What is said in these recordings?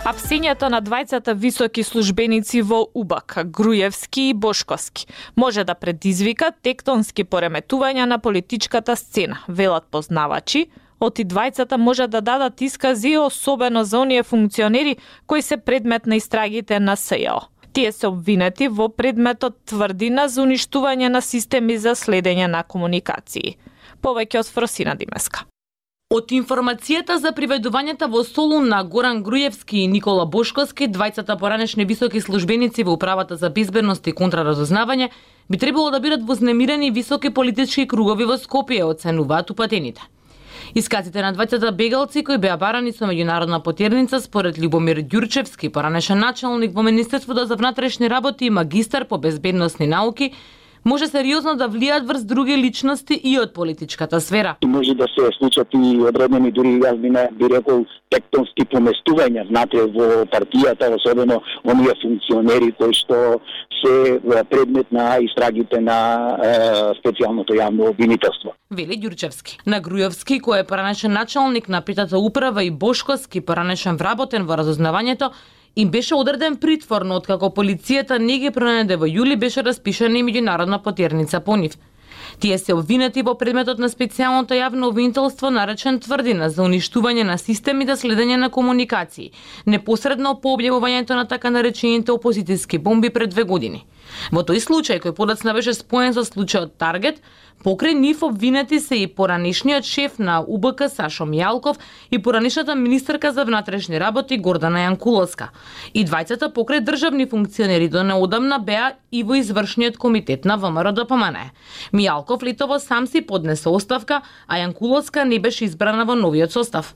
Апсењето на двајцата високи службеници во УБК, Груевски и Бошковски, може да предизвика тектонски пореметувања на политичката сцена, велат познавачи. Од и двајцата може да дадат искази, особено за оние функционери кои се предмет на истрагите на СЈО. Тие се обвинети во предметот тврдина за уништување на системи за следење на комуникации. Повеќе од Фросина Димеска. Од информацијата за приведувањата во Солун на Горан Груевски и Никола Бошковски, двајцата поранешни високи службеници во Управата за безбедност и контраразузнавање, би требало да бидат вознемирени високи политички кругови во Скопје, оценуваат упатените. Исказите на двајцата бегалци кои беа барани со меѓународна потерница според Љубомир Ѓурчевски, поранешен началник во Министерството за внатрешни работи и магистар по безбедносни науки, може сериозно да влијаат врз други личности и од политичката сфера. Може да се случат и одредени, дури јас би рекол, тектонски поместувања внатре во партијата, особено оние функционери кои што се предмет на истрагите на специјалното јавно обвинителство. Вели Ѓурчевски. На Груевски, кој е поранешен началник на Питата управа, и Бошковски, поранешен вработен во разузнавањето, им беше одреден притвор, но откако полицијата не ги пронајде во јули, беше распишана и меѓународна потерница по нив. Тие се обвинети во предметот на специјалното јавно обвинителство наречен тврдина за уништување на системи за следење на комуникации, непосредно по објавувањето на така наречените опозицијски бомби пред 2 години. Во тој случај, кој подоцна беше споен со случајот Таргет, покрај нив обвинети се и поранешниот шеф на УБК Сашо Мијалков и поранешната министерка за внатрешни работи Гордана Јанкуловска. И двајцата покрај државни функционери до неодамна беа и во извршниот комитет на ВМРО ДПМН. Мијалков летово сам си поднесе оставка, а Јанкуловска не беше избрана во новиот состав.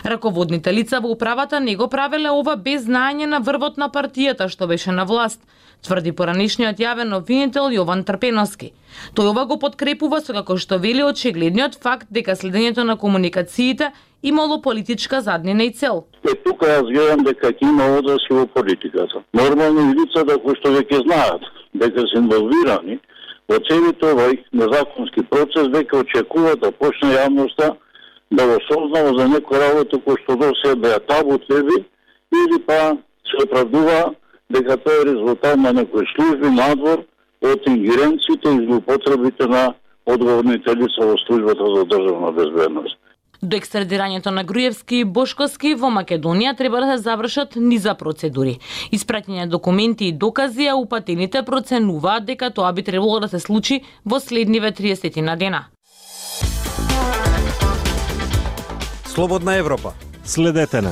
Раководните лица во управата не го правеле ова без знаење на врвот на партијата што беше на власт, тврди поранешниот јавен обвинител Јован Трпеновски. Тој ова го подкрепува со како што вели очигледниот факт дека следењето на комуникациите имало политичка заднина и цел. Тука јас гледам дека ќе има одрази во политиката. Нормално и лицата кои што веќе знаат дека се инволвирани во целиот овој незаконски процес, веќе очекуваат да почне јавноста да го сознава за некој работа кој што до сега беа табу теби, или па се оправдува дека тоа е резултат на некои служби надвор од ингеренциите и злоупотребите на одговорните лица во службата за државна безбедност. До екстрадирањето на Груевски и Бошковски во Македонија треба да се завршат низа процедури. Испраќање документи и докази, а упатените проценуваат дека тоа би требало да се случи во следниве 30 на дена. Слободна Европа. Следете на